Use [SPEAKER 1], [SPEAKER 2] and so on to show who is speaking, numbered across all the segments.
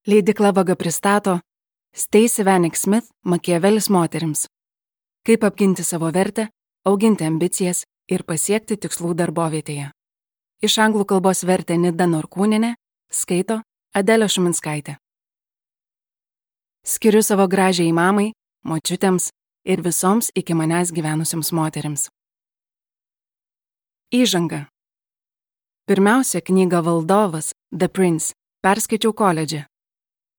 [SPEAKER 1] Leidykla Vaga pristato Stacey Vanek Smith Makiavelis moterims. Kaip apginti savo vertę, auginti ambicijas ir pasiekti tikslų darbovietėje. Iš anglų kalbos vertė Nida Norkūnienė, skaito Adelė Šuminskaitė. Skiriu savo gražiai mamai, močiutėms ir visoms iki manęs gyvenusioms moterims. Įžanga. Pirmiausia, knygą Valdovas, The Prince, perskaičiau koledže.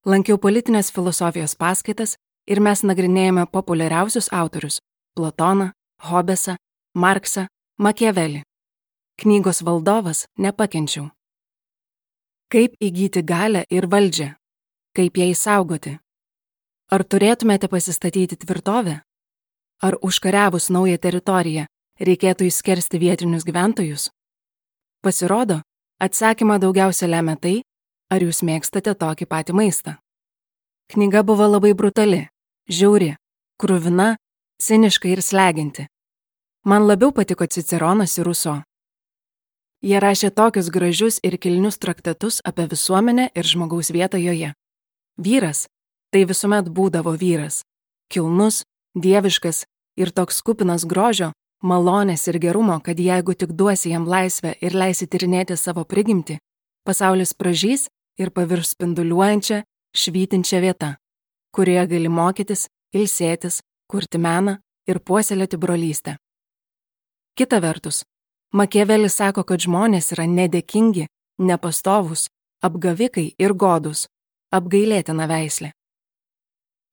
[SPEAKER 1] Lankiau politinės filosofijos paskaitas ir mes nagrinėjame populiariausius autorius – Platoną, Hobbesą, Marksą, Makiavelį. Knygos Valdovas nepakenčiau. Kaip įgyti galią ir valdžią? Kaip ją išsaugoti? Ar turėtumėte pasistatyti tvirtovę? Ar užkariavus naują teritoriją reikėtų išskersti vietinius gyventojus? Pasirodo, atsakymą daugiausia lemia tai, ar jūs mėgstate tokį patį maistą. Knyga buvo labai brutali, žiauri, kruvina, ciniška ir slegianti. Man labiau patiko Ciceronas ir Ruso. Jie rašė tokius gražius ir kilnius traktatus apie visuomenę ir žmogaus vietą joje. Vyras – tai visuomet būdavo vyras. Kilnus, dieviškas ir toks kupinas grožio, malonės ir gerumo, kad jeigu tik duosi jam laisvę ir leisi tyrinėti savo prigimtį, pasaulis pražys ir pavirs spinduliuojančią, švytinčią vietą, kurioje gali mokytis, ilsėtis, kurti meną ir puoselėti brolystę. Kita vertus, Makiavelis sako, kad žmonės yra nedėkingi, nepastovūs, apgavikai ir godūs, apgailėtina veislė.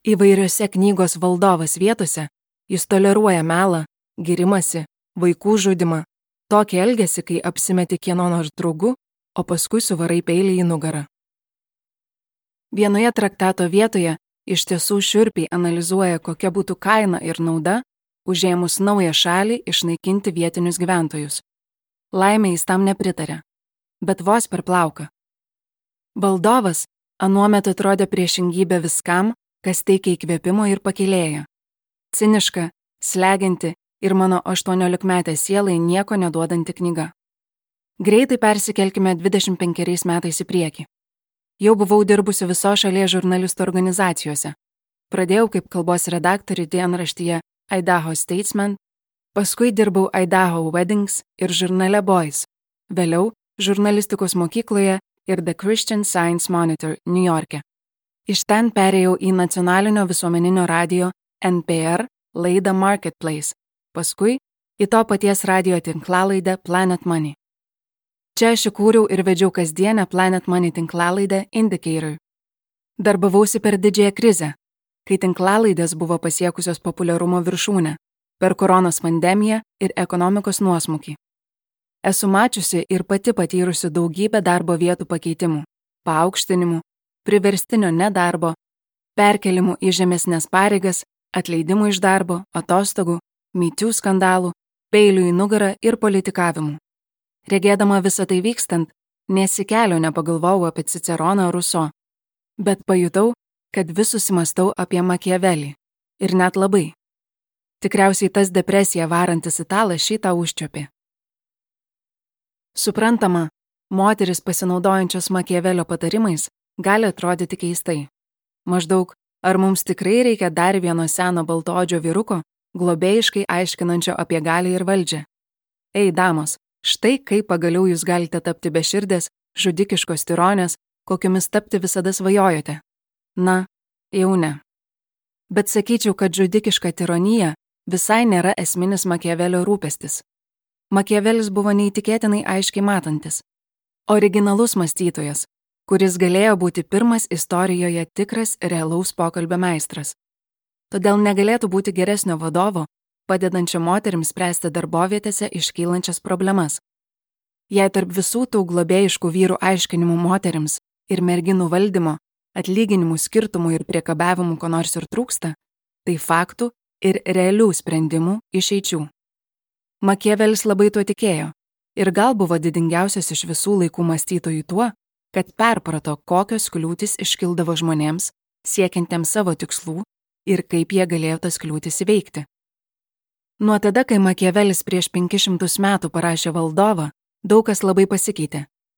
[SPEAKER 1] Įvairiose knygos Valdovas vietose jis toleruoja melą, girimasi, vaikų žudimą, tokį elgesį, kai apsimeti kieno nors draugu, o paskui suvarai peilį į nugarą. Vienoje traktato vietoje iš tiesų šiurpiai analizuoja, kokia būtų kaina ir nauda, užėmus naują šalį išnaikinti vietinius gyventojus. Laimė jis tam nepritarė, bet vos per plauką. Valdovas anuomet atrodė priešingybė viskam, kas teikia įkvėpimo ir pakylėja. Ciniška, slegianti ir mano 18-metė sielai nieko neduodanti knyga. Greitai persikelkime 25 metais į priekį. Jau buvau dirbusi viso šalies žurnalistų organizacijose. Pradėjau kaip kalbos redaktorė dienraštyje Idaho Statesman, paskui dirbau Idaho Weddings ir žurnale Boys, vėliau žurnalistikos mokykloje ir The Christian Science Monitor Niujorke. Iš ten perėjau į nacionalinio visuomeninio radijo NPR laidą Marketplace, paskui į to paties radijo tinklalaidę Planet Money. Čia aš įkūriau ir vedžiau kasdienę Planet Money tinklalaidę Indicator. Darbavausi per didžiąją krizę, kai tinklalaidės buvo pasiekusios populiarumo viršūnę, per koronos pandemiją ir ekonomikos nuosmukį. Esu mačiusi ir pati patyrusi daugybę darbo vietų pakeitimų, paaukštinimų, priverstinio nedarbo, perkelimų į žemesnes pareigas, atleidimų iš darbo, atostogų, mytių skandalų, peilių į nugarą ir politikavimų. Regėdama visą tai vykstant, nesikelio nepagalvojau apie Ciceroną Ruso, bet pajutau, kad vis susimastau apie Makiavelį. Ir net labai. Tikriausiai tas depresiją varantis italas šitą užčiopė. Suprantama, moteris pasinaudojančios Makiavelio patarimais gali atrodyti keistai. Maždaug, ar mums tikrai reikia dar vieno seno baltaodžio vyruko, globėjiškai aiškinančio apie galią ir valdžią? Ei, damos, štai kaip pagaliau jūs galite tapti beširdės, žudikiškos tironės, kokiomis tapti visada svajojote. Na, jau ne. Bet sakyčiau, kad žudikiška tironija visai nėra esminis Makiavelio rūpestis. Makiavelis buvo neįtikėtinai aiškiai matantis. Originalus mąstytojas, kuris galėjo būti pirmas istorijoje tikras realaus pokalbio meistras. Todėl negalėtų būti geresnio vadovo, padedančio moterims spręsti darbovietėse iškylančias problemas. Jei tarp visų tų globėjiškų vyrų aiškinimų moterims ir merginų valdymo, atlyginimų skirtumų ir priekabiavimų ko nors ir trūksta, tai faktų ir realių sprendimų išeičių. Makiavelis labai tuo tikėjo ir gal buvo didingiausias iš visų laikų mąstytojų tuo, kad perprato, kokios kliūtis iškildavo žmonėms, siekiantiems savo tikslų ir kaip jie galėjo tas kliūtis įveikti. Nuo tada, kai Makiavelis prieš 500 metų parašė Valdovą, daug kas labai pasikeitė.